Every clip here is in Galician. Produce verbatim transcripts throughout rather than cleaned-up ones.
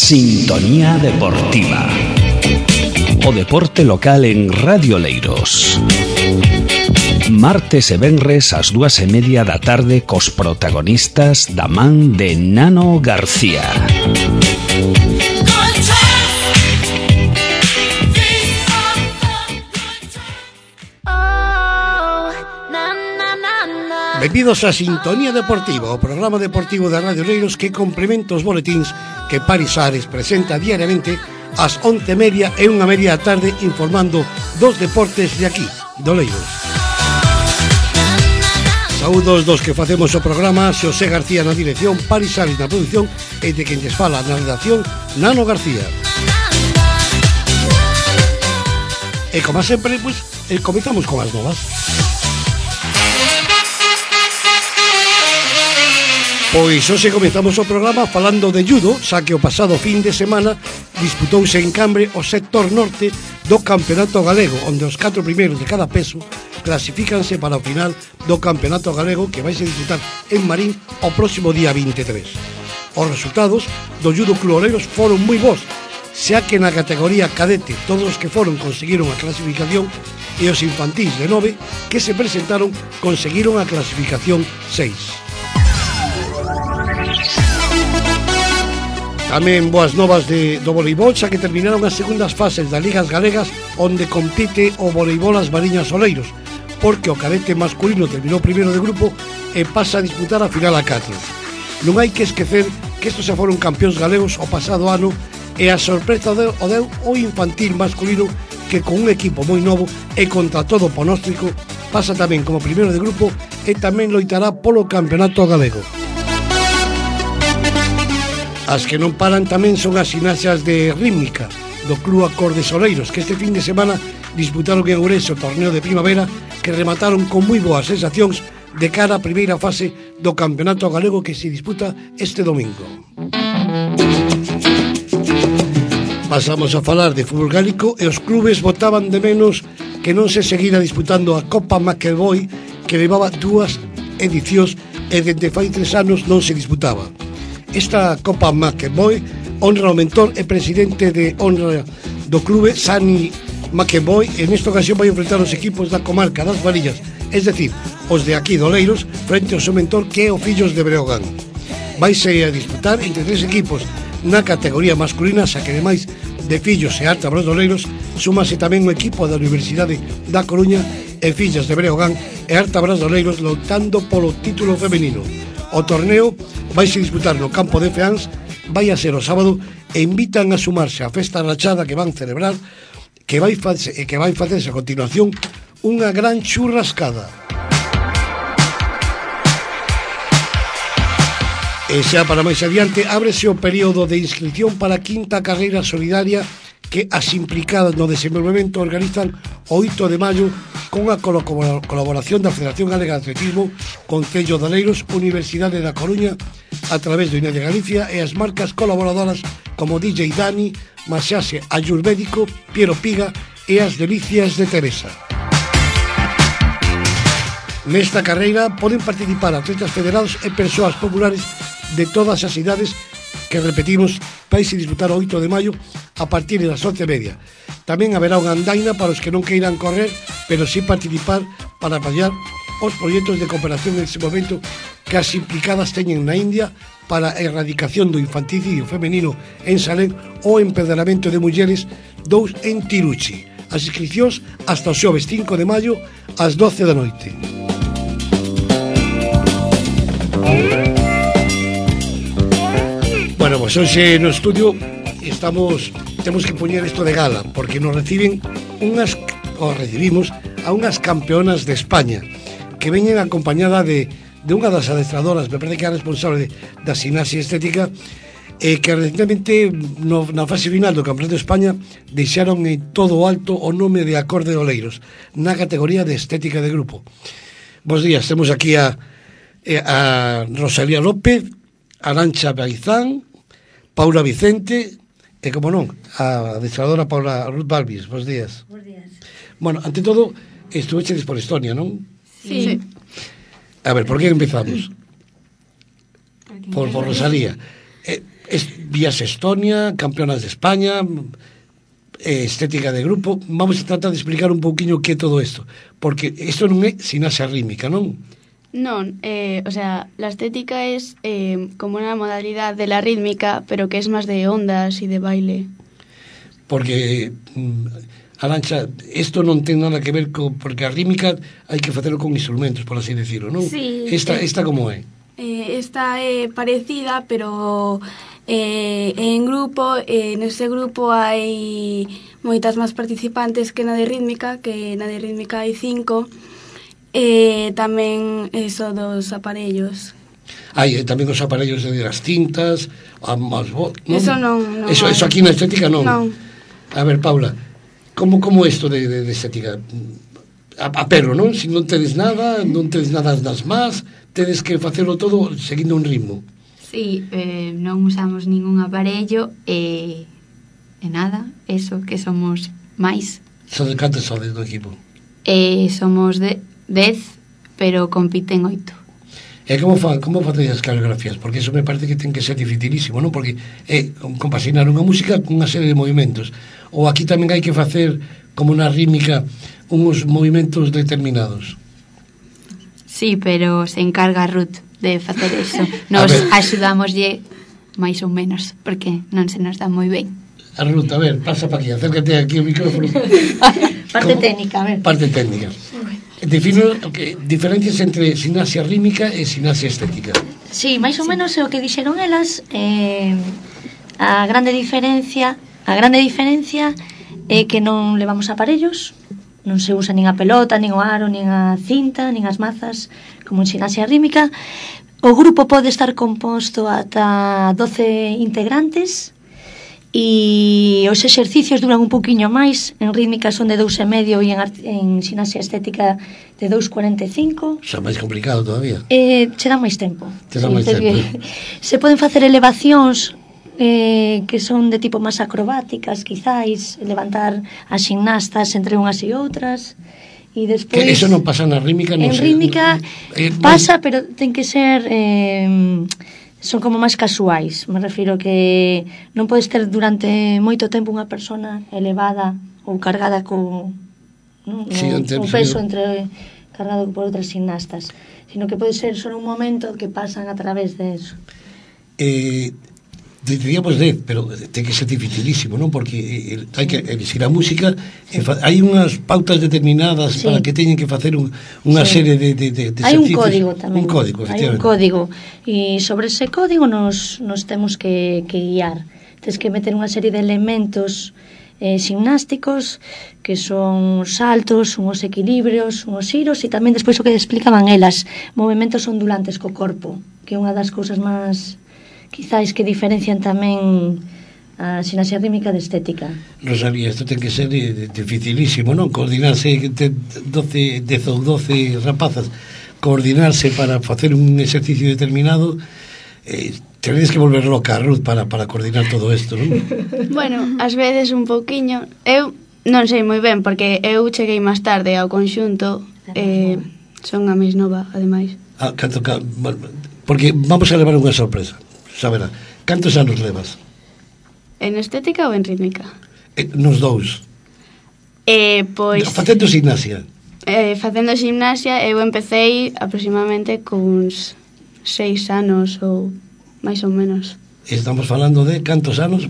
Sintonía Deportiva. O deporte local en Radio Oleiros. Martes e venres ás dúas e media da tarde cos protagonistas da man de Nano García. Benvidos a Sintonía Deportiva, o programa deportivo da Radio Oleiros que complementa os boletíns que Paris Ares presenta diariamente ás once e media e unha media da tarde, informando dos deportes de aquí, de Oleiros. Saúdos dos que facemos o programa: Xosé García na dirección, Paris Ares na produción e de quen lles fala na redacción, Nano García. E como sempre, pois, pues, comezamos con as novas. Pois hoxe comezamos o programa falando de judo, xa que o pasado fin de semana disputouse en Cambre o sector norte do Campeonato Galego, onde os catro primeiros de cada peso clasifícanse para o final do Campeonato Galego, que vai se disputar en Marín o próximo día vinte e tres. Os resultados do Judo Club Oleiros foron moi bons, xa que na categoría cadete todos os que foron conseguiron a clasificación e os infantís de nove que se presentaron conseguiron a clasificación seis. Tamén boas novas de, do voleibol, xa que terminaron as segundas fases das ligas galegas, onde compite o voleibol as Mariñas Oleiros, porque o cadete masculino terminou primeiro de grupo e pasa a disputar a final a catro. Non hai que esquecer que estos xa foron campións galegos o pasado ano e a sorpresa o deu, o deu o infantil masculino, que con un equipo moi novo e contra todo pronóstico pasa tamén como primeiro de grupo e tamén loitará polo campeonato galego. As que non paran tamén son as gimnasias de rítmica do Club Acordes Oleiros, que este fin de semana disputaron en Ourense o torneo de primavera, que remataron con moi boas sensacións de cara á primeira fase do Campeonato Galego, que se disputa este domingo. Pasamos a falar de fútbol gálico e os clubes botaban de menos que non se seguira disputando a Copa McEvoy, que levaba dúas edicións e dende fai tres anos non se disputaba. Esta Copa McEvoy honra o mentor e presidente de honra do clube, Sani McEvoy, e nesta ocasión vai enfrentar os equipos da comarca das Varillas, es decir, os de aquí de Oleiros, frente ao seu mentor, que é o Fillos de Breogán. Vaise a disputar entre tres equipos na categoría masculina, xa que demais de Fillos e Artabras de Oleiros súmase tamén o equipo da Universidade da Coruña e Fillas de Breogán e Artabras de Oleiros loitando polo título femenino. O torneo vai se disputar no campo de Feáns, vai a ser o sábado, e invitan a sumarse á festa rachada que van celebrar, que vai facerse, e que vai facerse a continuación unha gran churrascada. E xa para máis adiante, ábrese o período de inscripción para a quinta carreira solidaria que as implicadas no desenvolvemento organizan o oito de maio con a colaboración da Federación Galega de Atletismo, Concello de Oleiros, Universidade da Coruña, a través do I N E de Galicia e as marcas colaboradoras como D J Dani, Maxiase Ayurvédico, Piero Piga e as Delicias de Teresa. Nesta carreira poden participar atletas federados e persoas populares de todas as idades, que repetimos, vais a disputar o oito de maio a partir das once e media. Tamén haberá unha andaina para os que non queiran correr, pero sí participar para apoiar os proxectos de cooperación en ese momento que as implicadas teñen na India para a erradicación do infanticidio femenino en Salén ou empedraramento de mulleres dous en Tiruchi. As inscripcións hasta o xoves cinco de maio ás doce da noite. Bueno, pois pues hoxe no estudio estamos, temos que poñer isto de gala, porque nos reciben unhas, ou recibimos a unhas campeonas de España, que veñen acompañada de, de unha das adestradoras, me parece que é responsable de, da gimnasia estética, e que recentemente no, na fase final do Campeonato de España deixaron en todo o alto o nome de Acorde de Oleiros, na categoría de estética de grupo. Bos días, temos aquí a, a Rosalía López, Arancha Baizán, Paula Vicente e, como non, a adestradora Paula Ruth Balbis. Bos días. Bos días. Bueno, ante todo, estuveches por Estonia, non? Sí. A ver, por que empezamos? Por, por Rosalía. Eh, es, vías Estonia, campeonas de España, eh, estética de grupo. Vamos a tratar de explicar un pouquiño que é todo isto, porque isto non é gimnasia rítmica, non? Non, eh, o sea, la estética es eh, como una modalidad de la rítmica, pero que es más de ondas y de baile. Porque, mm, Arantxa, isto non ten nada que ver co, porque a rítmica hai que facelo con instrumentos, por así decirlo, non? Sí. Esta, eh, esta como é? Eh, esta é parecida, pero eh, en grupo, eh, nese grupo hai moitas máis participantes que na de rítmica, que na de rítmica hai cinco. E tamén eso dos aparellos. Hai eh, tamén os aparellos de as cintas, as voz, non? Eso non, non eso, hai. eso aquí na estética non. Non. A ver, Paula, como como isto de, de, de estética? A, a perro, non? Se non tedes nada, non tedes nada nas más, tedes que facelo todo seguindo un ritmo. Sí, eh, non usamos ningún aparello e, e nada, eso, que somos máis. Son de cantos sodes do equipo? E somos de dez, pero compiten oito. E como fa, como facedes as coreografías? Porque eso me parece que ten que ser dificilísimo, non? Porque é compasinar unha música con unha serie de movimentos. Ou aquí tamén hai que facer, como na rítmica, uns movimentos determinados. Sí, pero se encarga Ruth de facer eso. Nos axudámoslle máis ou menos, porque non se nos dá moi ben. A Ruth, a ver, pasa pa aquí, acércate aquí o micrófono. Parte técnica, a ver. Parte técnica. Defino que diferencias entre gimnasia rítmica e gimnasia estética. Sí, máis ou menos é o que dixeron elas. eh, a grande diferencia a grande diferencia é que non levamos aparellos, non se usa nin a pelota, nin o aro, nin a cinta, nin as mazas, como en gimnasia rítmica. O grupo pode estar composto ata doce integrantes, e os exercicios duran un poquinho máis. En rítmica son de dous e medio e en, en gimnasia estética de dous cuarenta e cinco. Xa máis complicado todavía. Eh, che dá máis tempo. Che dá máis tempo. Se poden facer elevacións eh, que son de tipo máis acrobáticas, quizáis, levantar as gimnastas entre unhas e outras. E despois, que eso non pasa na rítmica, non en sei. rítmica Eh, pasa, pero ten que ser eh, son como máis casuais. Me refiro que non podes ter durante moito tempo unha persona elevada ou cargada co, non? Sí, No, un peso entre cargado por outras gimnastas, sino que pode ser só un momento que pasan a través de eso. Eh, diríamos dez, pero ten que ser dificilísimo, non? Porque eh, hai que elegir a música, e fa, hai unhas pautas determinadas, sí, para que teñen que facer un, unha sí. serie de, de, de, de hai un código tamén, un código, hai un código, e sobre ese código nos, nos temos que, que guiar. Tens que meter unha serie de elementos eh, gimnásticos, que son os saltos, os equilibrios, os giros, e tamén despois o que explicaban elas, movimentos ondulantes co corpo, que é unha das cousas máis quizáis que diferencian tamén a gimnasia rítmica de estética. Rosalía, isto ten que ser dificilísimo, non? Coordinarse, doce, dez ou doce rapazas, coordinarse para facer un exercicio determinado, eh, tenéis que volver loca a Ruth para, para coordinar todo isto, non? Bueno, ás veces un pouquiño. Eu non sei moi ben, porque eu cheguei máis tarde ao conxunto, eh, son a máis nova, ademais. Ah, canto, porque vamos a levar unha sorpresa. Saberá, cantos anos levas? En estética ou en rítmica? Eh, nos dous. Eh, pois... Facendo gimnasia? Eh, facendo gimnasia, eu empecei aproximadamente cuns seis anos ou máis ou menos. Estamos falando de cantos anos?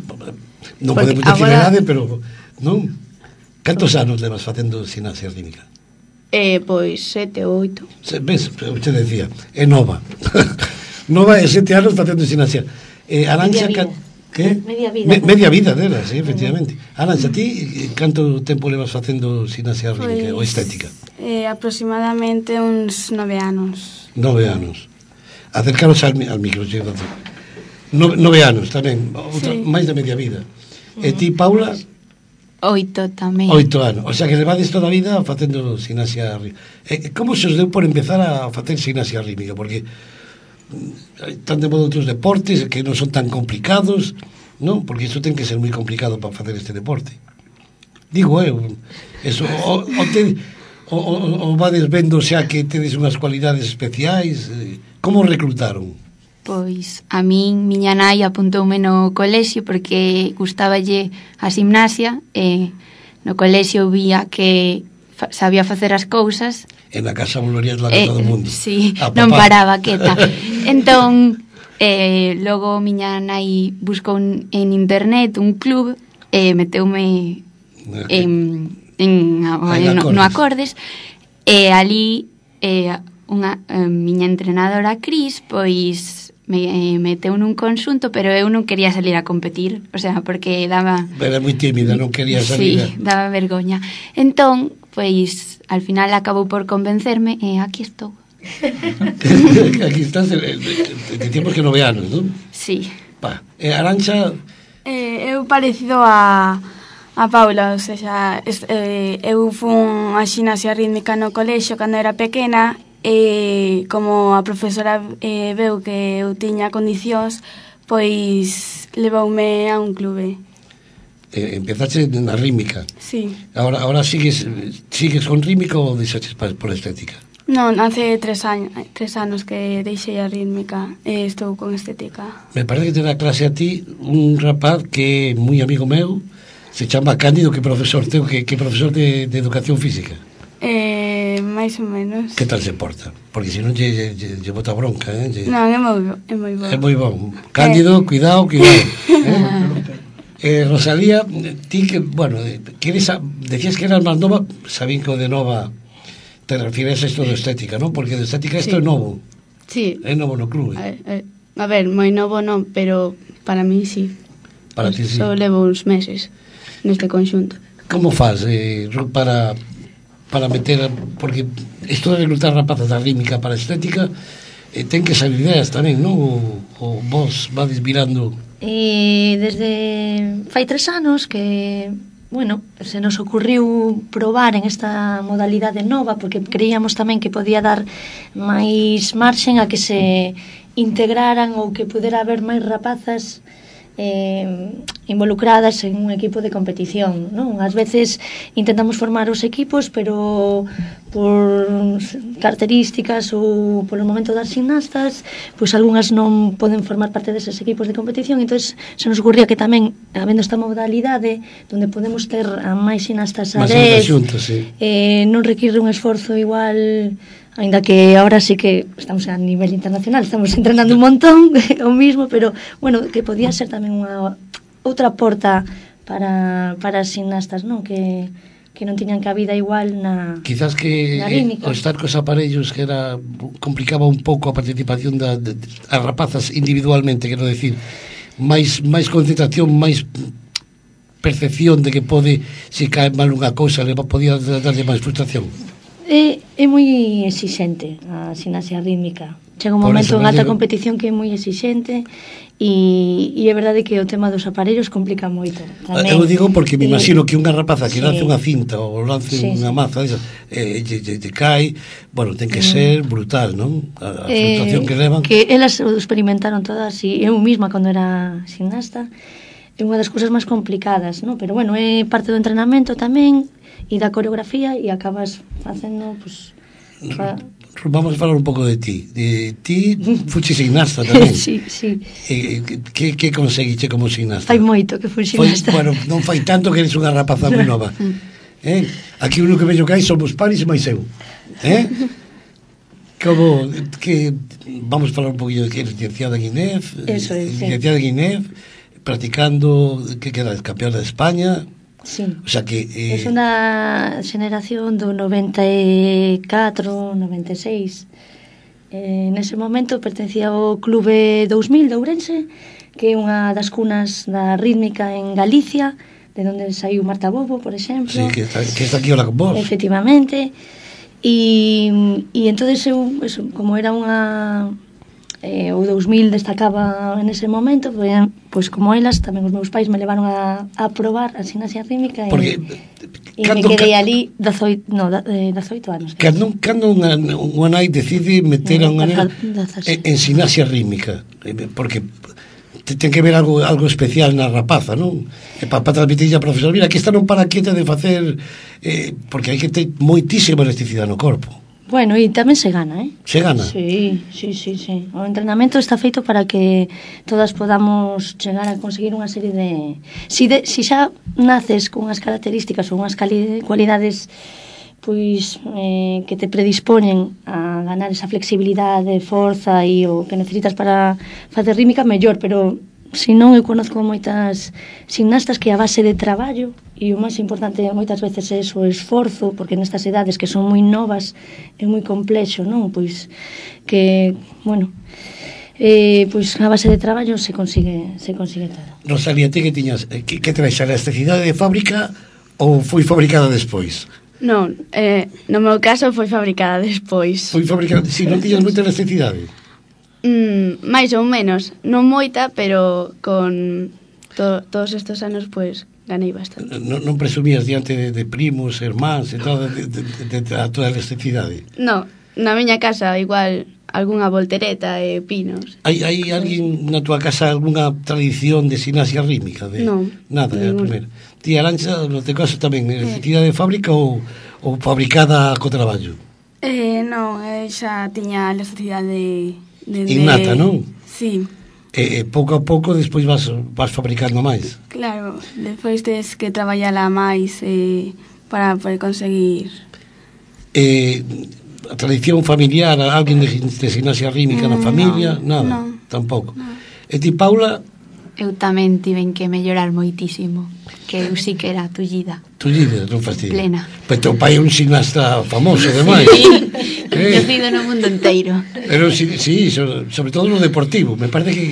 Non porque podemos decir agora... idade, pero... non? Cantos anos levas facendo gimnasia rítmica? Eh, pois sete ou oito. Se, ves, eu te decía, é nova. Nova é sete anos facendo gimnasia. Eh, Arantxa, media vida. Que? Media vida. Me, media vida dela, sí, efectivamente. Arantxa, ti canto tempo levas facendo gimnasia rítmica ou estética? Eh, aproximadamente uns nove anos. Nove anos. Acercaros al, al micro, no, nove anos tamén, outra, sí, máis de media vida. Uh-huh. E ti, Paula? Oito tamén. Oito anos, o sea que levades toda a vida facendo gimnasia rítmica. Eh, como se os deu por empezar a facer gimnasia rítmica? Porque están de modo outros deportes que non son tan complicados, non? Porque iso ten que ser moi complicado para facer este deporte. Digo eu, eso, o, o, te, o, o, o vades vendo xa que tedes unhas cualidades especiais, como reclutaron? pois a min miña nai apuntoume no colexio porque gustáballe a gimnasia e no colexio vía que fa, sabía facer as cousas. En a casa volorías la que eh, todo o mundo. Sí, non paraba quieta. Entón, eh, logo miña nai buscou en internet un club e eh, meteume okay. en, en, ah, en, no, no Acordes e ali eh, unha eh, miña entrenadora Cris pois me eh, meteu nun conxunto, pero eu non quería salir a competir, o sea, porque daba... Era moi tímida, non quería salir. Sí, daba vergoña. Entón, pois, al final acabou por convencerme e aquí estou. Aquí estás, de tiempos que nove anos, non? Sí. Pa, e Arancha... Eh, eu parecido a... a Paula, o sea, es, eh, eu fun a ximnasia rítmica no colexio cando era pequena e como a profesora eh, veu que eu tiña condicións, pois levoume a un clube. Eh, empezaste na rítmica. Sí. Ahora, ahora sigues sigues con rítmica ou deixaches por estética? Non, hace tres años, tres anos que deixei a rítmica e estou con estética. Me parece que te dá clase a ti un rapaz que é moi amigo meu, se chama Cándido, que profesor teu, que, que profesor de, de educación física. Eh, máis ou menos. Que tal se porta? Porque se non lle, lle, lle bota bronca, eh? Lle... Non, é moi, é moi bon. É moi bon. Cándido, eh. cuidado, cuidado. eh? eh, Rosalía, ti que, bueno, queres a, decías que eras máis nova, sabín que o de nova te refieres a isto de estética, non? Porque de estética isto sí. é novo. Sí. É novo no clube. A, a, a ver, moi novo non, pero para mí sí. Para ti sí. Só levo uns meses neste conxunto. Como faz eh, para para meter, porque isto de reclutar rapazas da rítmica para a estética eh, ten que salir ideas tamén, non? O, o vos vades virando. E desde fai tres anos que, bueno, se nos ocurriu probar en esta modalidade nova, porque creíamos tamén que podía dar máis marxen a que se integraran ou que pudera haber máis rapazas eh, involucradas en un equipo de competición, non? Ás veces intentamos formar os equipos, pero por características ou polo momento das gimnastas, pois algunhas non poden formar parte deses equipos de competición, entón se nos ocurría que tamén, habendo esta modalidade onde podemos ter a máis gimnastas a dez, sí. eh, non require un esforzo igual, ainda que ahora sí que estamos a nivel internacional, estamos entrenando un montón o mismo, pero bueno, que podía ser tamén unha outra porta para, para as gimnastas, non? Que, que non tiñan cabida igual na quizás que eh, o estar cos aparellos que era complicaba un pouco a participación da, de, de, as rapazas individualmente, quero decir, máis, máis concentración, máis percepción de que pode, se cae mal unha cousa, le podía darlle máis frustración. É, é moi exixente a gimnasia rítmica. Chega un momento en alta competición que é moi exixente e, e é verdade que o tema dos aparellos complica moito tamén. Eu digo porque me imagino que unha rapaza que sí. lance unha cinta ou lance sí, unha sí. maza esa, eh, te, te, te cae, bueno, ten que ser brutal, non? A, a frustración eh, que levan. Que elas o experimentaron todas e eu mesma cando era gimnasta é unha das cousas máis complicadas, non? Pero bueno, é parte do entrenamento tamén e da coreografía e acabas facendo, pues, fa... Vamos a falar un pouco de ti. De ti fuche gimnasta tamén. Sí, sí. Eh, que, que conseguiche como gimnasta? Fai moito que fui gimnasta. Foi, bueno, non fai tanto que eres unha rapaza moi nova. Eh? Aquí o único que veño que hai somos paris e máis eu. Eh? Como que vamos a falar un poquillo de que eres licenciada en I N E F. Eso é, licenciada en I N E F, practicando, que queda, campeona de España. Sí. O sea que eh... é unha xeneración do noventa e catro, noventa e seis. Eh, nese momento pertencía ao Clube dous mil de Ourense, que é unha das cunas da rítmica en Galicia, de onde saiu Marta Bobo, por exemplo. Sí, que está, que está aquí hola con vos. Efectivamente. E, e entonces eu, eso, como era unha... Eh, o dous mil destacaba en ese momento, pois, pois como elas, tamén os meus pais me levaron a, a probar a gimnasia rítmica e, e me quedei ali dezoito, no, dezoito anos. Cando, cando unha, unha nai decide meter a unha nena en, en gimnasia rítmica, porque ten que ver algo, algo especial na rapaza, non? E para pa transmitir a profesor, mira, que esta non para quieta de facer, eh, porque hai que ter moitísima elasticidade no corpo. Bueno, e tamén se gana, eh? Se gana? Sí, sí, sí, sí. O entrenamento está feito para que todas podamos chegar a conseguir unha serie de... Si, de, si xa naces con unhas características ou unhas cali, cualidades pois eh, que te predispoñen a ganar esa flexibilidade, forza e o que necesitas para facer rítmica, mellor, pero se non, eu conozco moitas gimnastas que a base de traballo, e o máis importante moitas veces é o esforzo, porque nestas edades que son moi novas é moi complexo, non? Pois que, bueno, eh, pois a base de traballo se consigue se consigue todo. Rosalía, ti que tiñas, que, que traes a elasticidade de fábrica ou foi fabricada despois? Non, eh, no meu caso foi fabricada despois. Foi fabricada, si, non tiñas moita elasticidade? Mm, máis ou menos, non moita, pero con to, todos estes anos, pois, ganei bastante. Non, non presumías diante de, de primos, hermáns e todo, de, de, de, de a toda a elasticidade? Non, na miña casa igual algunha voltereta e pinos. Hai, hai alguén na túa casa algunha tradición de gimnasia rítmica? De... Non. Nada, é a ningún. primeira. Ti, Arancha, no teu caso tamén, elasticidade de fábrica ou, ou fabricada co traballo? Eh, non, eu xa tiña a elasticidade de, de, Innata, non? Sí, E, e pouco a pouco despois vas, vas fabricando máis. claro, despois tes que traballala máis eh, para poder conseguir. Eh, a tradición familiar, alguén de, de gimnasia rítmica na familia? non, Nada, non. tampouco. E ti, Paula, Eu tamén tiven que mellorar moitísimo, que eu sí que era tullida. tullida, non fastidio. Plena. Pero teu pai é un gimnasta famoso, ademais. Sí, Eh. conocido no mundo enteiro. Pero sí, sí, sobre todo no deportivo. Me parece que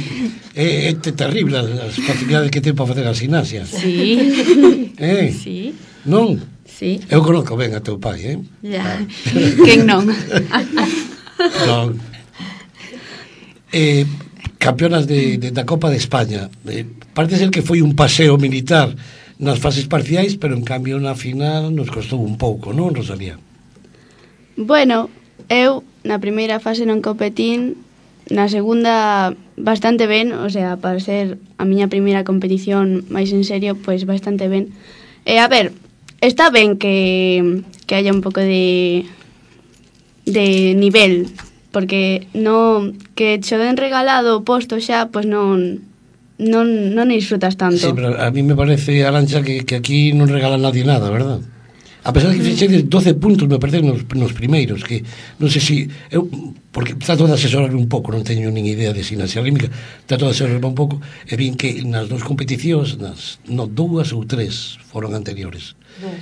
é, é terrible as facilidades que ten para facer a gimnasia. Sí, Eh? sí, Non? sí. Eu conozco ben a teu pai, eh? Ya. Quen non? Non. Eh, campeonas de, de, da Copa de España. Eh, parece ser que foi un paseo militar nas fases parciais, pero en cambio na final nos costou un pouco, non, Rosalía? Bueno, eu na primeira fase non competín, na segunda bastante ben, o sea, para ser a miña primeira competición máis en serio, pois bastante ben. E a ver, está ben que, que haya un pouco de de nivel, porque non que che den regalado o posto xa, pois non non non disfrutas tanto. Sí, pero a mí me parece, Arancha, que, que aquí non regala nadie nada, verdad? A pesar de que fixedes doce puntos, me parece, nos, nos primeiros, que non sei se... Eu, porque trato de asesorarme un pouco, non teño nin idea de gimnasia rítmica, trato de asesorarme un pouco, e vin que nas dos competicións, nas no, dúas ou tres foron anteriores.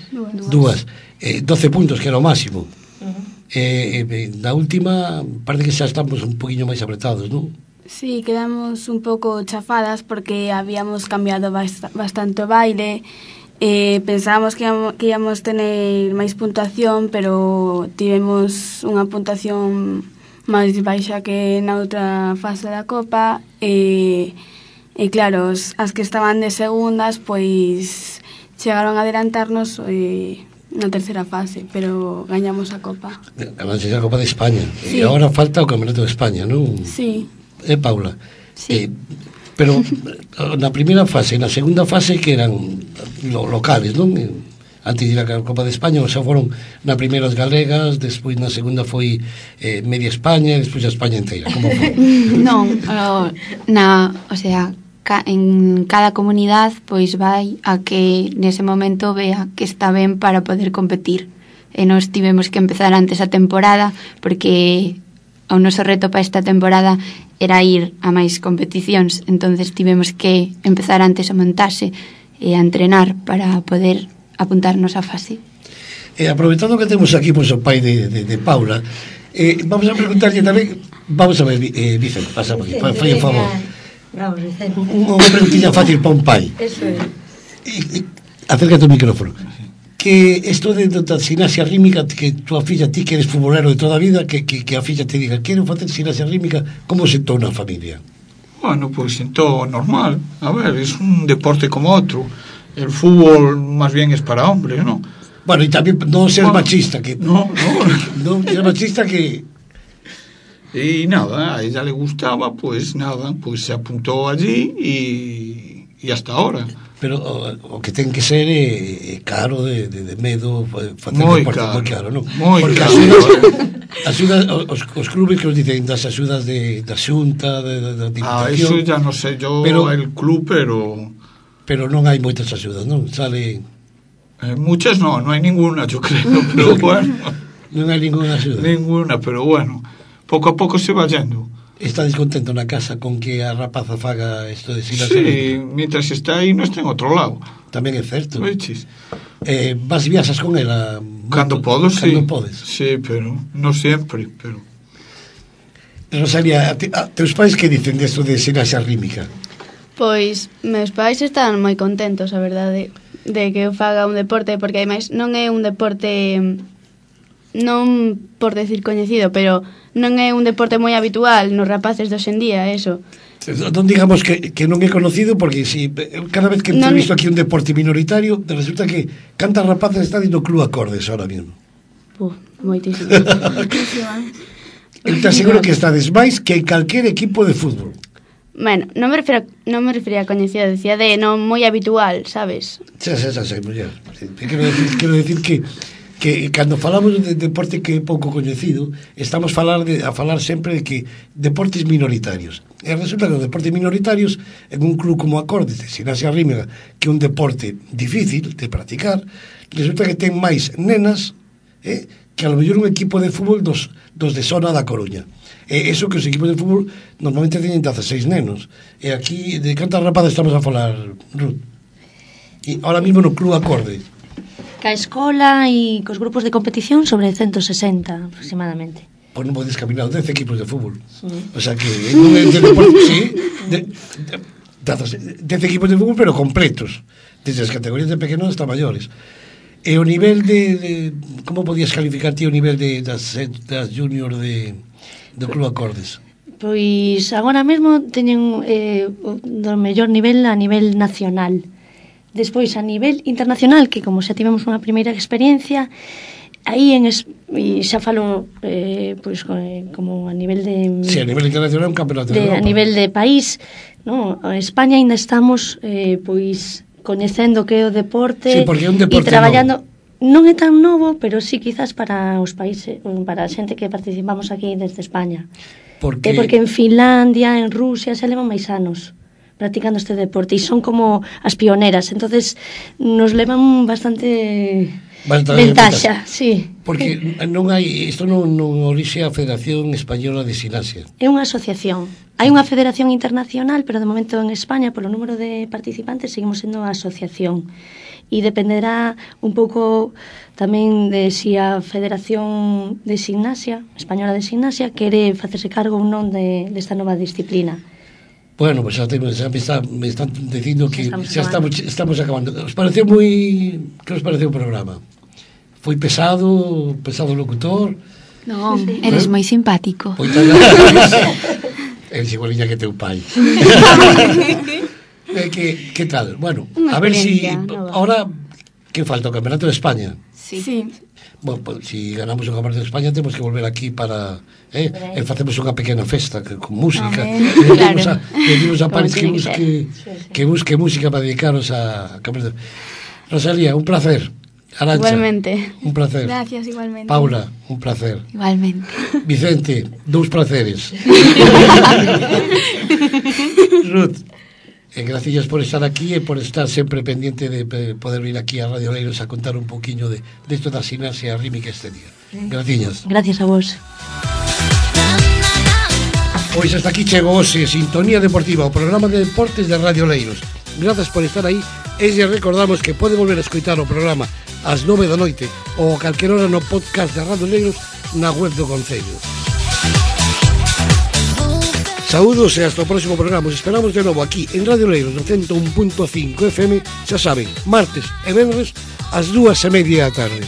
Dúas. Dúas. Eh, doce puntos, que era o máximo. Uh-huh. Eh, eh, na última, parece que xa estamos un poquinho máis apretados, non? Sí, quedamos un pouco chafadas porque habíamos cambiado bast bastante o baile. Eh, pensábamos que íamos, que íamos tener máis puntuación, pero tivemos unha puntuación máis baixa que na outra fase da Copa. E, e claro, as, as que estaban de segundas, pois chegaron a adelantarnos e, na terceira fase, pero gañamos a Copa. Ganándose a Copa de España. Sí. E agora falta o Campeonato de España, non? Sí. Eh, Paula? Sí. Eh, pero na primeira fase e na segunda fase que eran lo, locales, non? Antes de ir a Copa de España, o sea, foron na primeira as galegas, despois na segunda foi eh, media España e despois a España inteira. Como foi? Non, o, na, o sea, ca, en cada comunidade pois vai a que nese momento vea que está ben para poder competir. E nós tivemos que empezar antes a temporada porque o noso reto para esta temporada era ir a máis competicións, entonces tivemos que empezar antes a montarse e a entrenar para poder apuntarnos a fase. E aproveitando que temos aquí pois, o pai de, de, de Paula, eh, vamos a preguntarlle tamén, vamos a ver, eh, Vicente, pasa por aquí, fai o favor. Bravo, Vicente. Unha preguntilla fácil para un pai. Eso é. E, e, acércate o micrófono. Que isto de, de, da gimnasia rítmica, que tua filla, ti que eres futbolero de toda a vida, que, que, que a filla te diga, quero facer gimnasia rítmica, como sentou na familia? Bueno, pues sentou normal. A ver, es un deporte como otro. El fútbol más bien es para hombres, ¿no? Bueno, y también no ser bueno, machista, que no, no no. ser machista que... Y nada, a ella le gustaba, pues nada, pues se apuntó allí y, e hasta ahora. Pero o, o que ten que ser é, é caro de, de, de medo facer moi deporte, caro, moi caro, non? Moi Porque caro. As axudas, os, os clubes que os dicen das axudas de, da xunta, de, de, da Ah, diputación, eso ya no sé yo pero, el club, pero pero non hai moitas axudas, non? Sale eh, muchas no, no hai ninguna, yo creo, pero bueno, non hai ninguna axuda. ninguna, pero bueno, pouco a pouco se va yendo. Está descontento na casa con que a rapaza faga isto de Silas? Sí, mientras está aí, no está en outro lado. Tamén é certo. Oiches. Eh, vas viaxas con ela? Cando podo, sí. Cando podes. Sí, pero non sempre, pero... Rosalía, a, te, a teus pais que dicen desto de ximnasia rítmica? Pois, meus pais están moi contentos, a verdade, de que eu faga un deporte, porque ademais non é un deporte, non por decir coñecido, pero non é un deporte moi habitual nos rapaces de hoxendía, eso. Non digamos que, que non é conocido, porque si cada vez que entrevisto non... aquí un deporte minoritario, resulta que cantas rapaces está dando club acordes ahora mismo. Puf, moitísimo. Eu te aseguro que estades máis que en calquer equipo de fútbol. Bueno, non me refiro, non me refería a coñecido, decía de non moi habitual, sabes? Xa, xa, xa, xa, muller. Quero decir, quero decir que que cando falamos de deporte que é pouco coñecido, estamos falar de, a falar sempre de que deportes minoritarios. E resulta que os deportes minoritarios, en un club como Acordes, de ximnasia rítmica, que é un deporte difícil de practicar, resulta que ten máis nenas eh, que a lo mellor un equipo de fútbol dos, dos de zona da Coruña. E eso que os equipos de fútbol normalmente teñen dezasseis nenos. E aquí, de cantas rapadas estamos a falar, Ruth? E ahora mismo no club Acorde. Ca escola e cos grupos de competición sobre ciento sesenta aproximadamente. Pois non podes caminar dez equipos de fútbol. Sí. O sea que non é de deporte, sí, de, de, dez equipos de fútbol pero completos, desde as categorías de pequenos hasta maiores. E o nivel de, de como podías calificar ti o nivel de das, das junior de do Club Acordes? Pois agora mesmo teñen eh, do mellor nivel a nivel nacional. Despois, a nivel internacional, que como xa tivemos unha primeira experiencia, aí en es, e xa falo eh, pois, como a nivel de... Sí, a nivel internacional é un campeonato de, de A nivel de país, no? A España ainda estamos eh, pois coñecendo que é o deporte, sí, porque é un deporte e traballando... Non é tan novo, pero sí quizás para os países, para a xente que participamos aquí desde España. Porque... É porque en Finlandia, en Rusia, se levan máis anos practicando este deporte e son como as pioneras, entonces nos levan bastante, bastante ventaxa, sí. Porque non hai, isto non, non orixe a Federación Española de Ximnasia. É unha asociación. Hai unha federación internacional, pero de momento en España, polo número de participantes, seguimos sendo a asociación. E dependerá un pouco tamén de si a Federación de Ximnasia, Española de Ximnasia, quere facerse cargo ou non de, desta nova disciplina. Bueno, pues xa, te, xa me, está, me están dicindo que estamos xa estamos, estamos acabando. Os pareceu moi... Que os pareceu o programa? Foi pesado, pesado locutor? Non, eres moi simpático. Pois eres igualiña que teu pai. eh, que, que tal? Bueno, a ver si... Ahora, que falta? O Campeonato de España? Sí. sí. Bueno, pues, si ganamos o Campeonato de España temos que volver aquí para eh, e facemos unha pequena festa que, con música. Le claro. a, le dimos a Paris que busque, sí, sí. que busque música para dedicaros a Campeonato. Rosalía, un placer. Arantxa, igualmente. Un placer. Gracias, igualmente. Paula, un placer. Igualmente. Vicente, dous placeres. Ruth, eh, gracias por estar aquí e por estar sempre pendiente de poder vir aquí a Radio Leiros a contar un poquinho de, de esto da ximnasia rítmica este día. Gracias. Gracias a vos. Pois hasta aquí chegou hoxe Sintonía Deportiva, o programa de deportes de Radio Leiros. Grazas por estar aí e lle recordamos que pode volver a escoitar o programa ás nove da noite ou a calquer hora no podcast de Radio Leiros na web do Concello. Saúdos e hasta o próximo programa. Os esperamos de novo aquí en Radio Leiros no ciento un punto cinco F M, xa saben, martes e venres ás dúas e media da tarde.